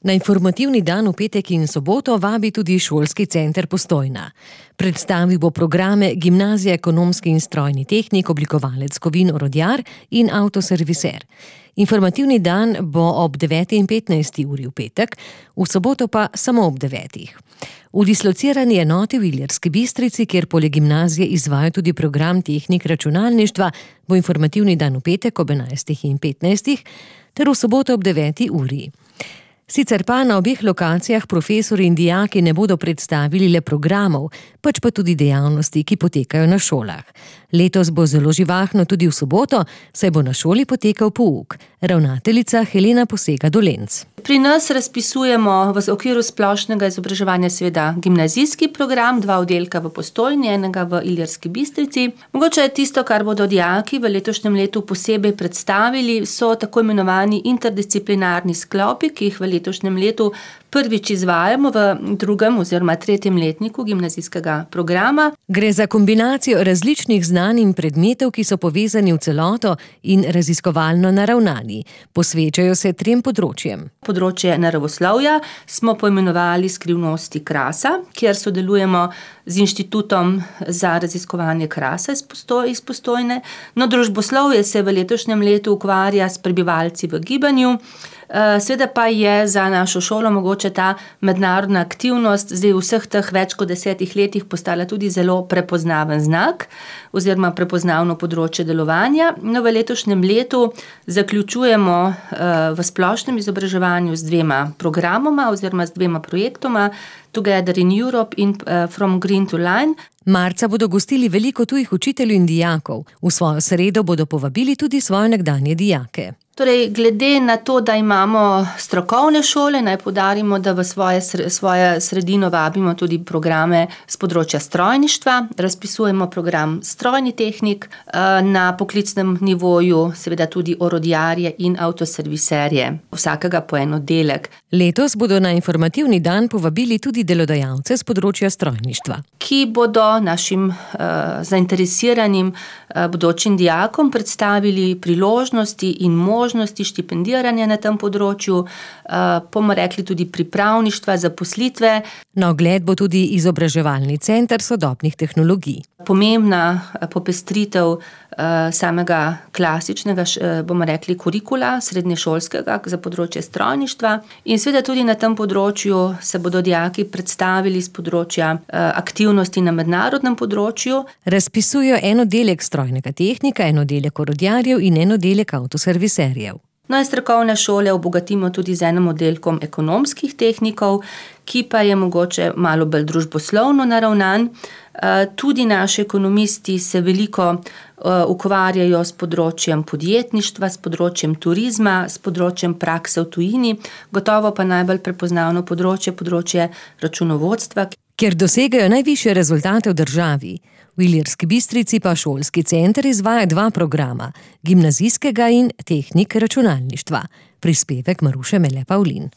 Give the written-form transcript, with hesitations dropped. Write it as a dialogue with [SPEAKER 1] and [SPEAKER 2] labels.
[SPEAKER 1] Na informativni dan v petek in soboto vabi tudi šolski center Postojna. Predstavil bo programe Gimnazija ekonomski in strojni tehnik, oblikovalec kovin orodjar in avtoserviser. Informativni dan bo ob 9:15 v petek, v soboto pa samo ob 9. V dislocirani enoti v Ilirski Bistrici, kjer poleg gimnazije izvaja tudi program tehnik računalništva, bo informativni dan v petek ob 11:15 ter v soboto ob 9. uri. Sicer pa na obeh lokacijah profesorji in dijaki ne bodo predstavili le programov, pač pa tudi dejavnosti, ki potekajo na šolah. Letos bo zelo živahno tudi v soboto, saj bo na šoli potekal pouk. Ravnateljica Helena Posega-Dolenc.
[SPEAKER 2] Pri nas razpisujemo v okviru splošnega izobraževanja seveda gimnazijski program, 2 oddelka v Postojni, enega v Ilirski Bistrici. Mogoče je tisto, kar bodo dijaki v letošnjem letu posebej predstavili, so tako imenovani interdisciplinarni sklopi, ki jih v letošnjem letu prvič izvajamo v 2. oziroma 3. letniku gimnazijskega programa.
[SPEAKER 1] Gre za kombinacijo različnih znanj in predmetov, ki so povezani v celoto in raziskovalno naravnani. Posvečajo se 3 področjem.
[SPEAKER 2] Področje naravoslovja smo poimenovali Skrivnosti krasa, kjer sodelujemo z Inštitutom za raziskovanje krasa iz Postojne. No, družboslovje se v letošnjem letu ukvarja s prebivalci v gibanju. Seveda pa je za našo šolo mogoče ta mednarodna aktivnost zdaj v vseh teh več kot 10 letih postala tudi zelo prepoznaven znak oziroma prepoznavno področje delovanja. No, v letošnjem letu zaključujemo v splošnem izobraževanju z 2 programoma oziroma z 2 projektoma, Together in Europe in From Green to Line.
[SPEAKER 1] Marca bodo gostili veliko tujih učiteljev in dijakov. V svojo sredo bodo povabili tudi svoje nekdanje dijake.
[SPEAKER 2] Torej, glede na to, da imamo strokovne šole, naj poudarimo, da v svojo sredino vabimo tudi programe z področja strojništva. Razpisujemo program strojni tehnik, na poklicnem nivoju seveda tudi orodjarje in avtoserviserje, vsakega po en oddelek.
[SPEAKER 1] Letos bodo na informativni dan povabili tudi delodajalce z področja strojništva,
[SPEAKER 2] ki bodo našim zainteresiranim bodočim dijakom predstavili priložnosti in možnosti štipendiranja na tem področju, bomo rekli tudi pripravništva, zaposlitve.
[SPEAKER 1] Na ogled bo tudi izobraževalni center sodobnih tehnologij.
[SPEAKER 2] Pomembna popestritev samega klasičnega, bomo rekli, kurikula srednješolskega za področje strojništva in seveda tudi na tem področju se bodo dijaki predstavili z področja aktivnosti na mednarodnem področju.
[SPEAKER 1] Razpisujejo en oddelek strojnega tehnika, en oddelek orodjarjev in en oddelek avtoserviserjev.
[SPEAKER 2] No in strokovne šole obogatimo tudi z enim oddelkom ekonomskih tehnikov, ki pa je mogoče malo bolj družboslovno naravnan. Tudi naši ekonomisti se veliko ukvarjajo s področjem podjetništva, s področjem turizma, s področjem prakse v tujini, gotovo pa najbolj prepoznavno področje računovodstva,
[SPEAKER 1] kjer dosegajo najvišje rezultate v državi. V Ilirski Bistrici pa šolski center izvaja 2 programa, gimnazijskega in tehnik računalništva. Prispevek Maruše Mele Pavlin.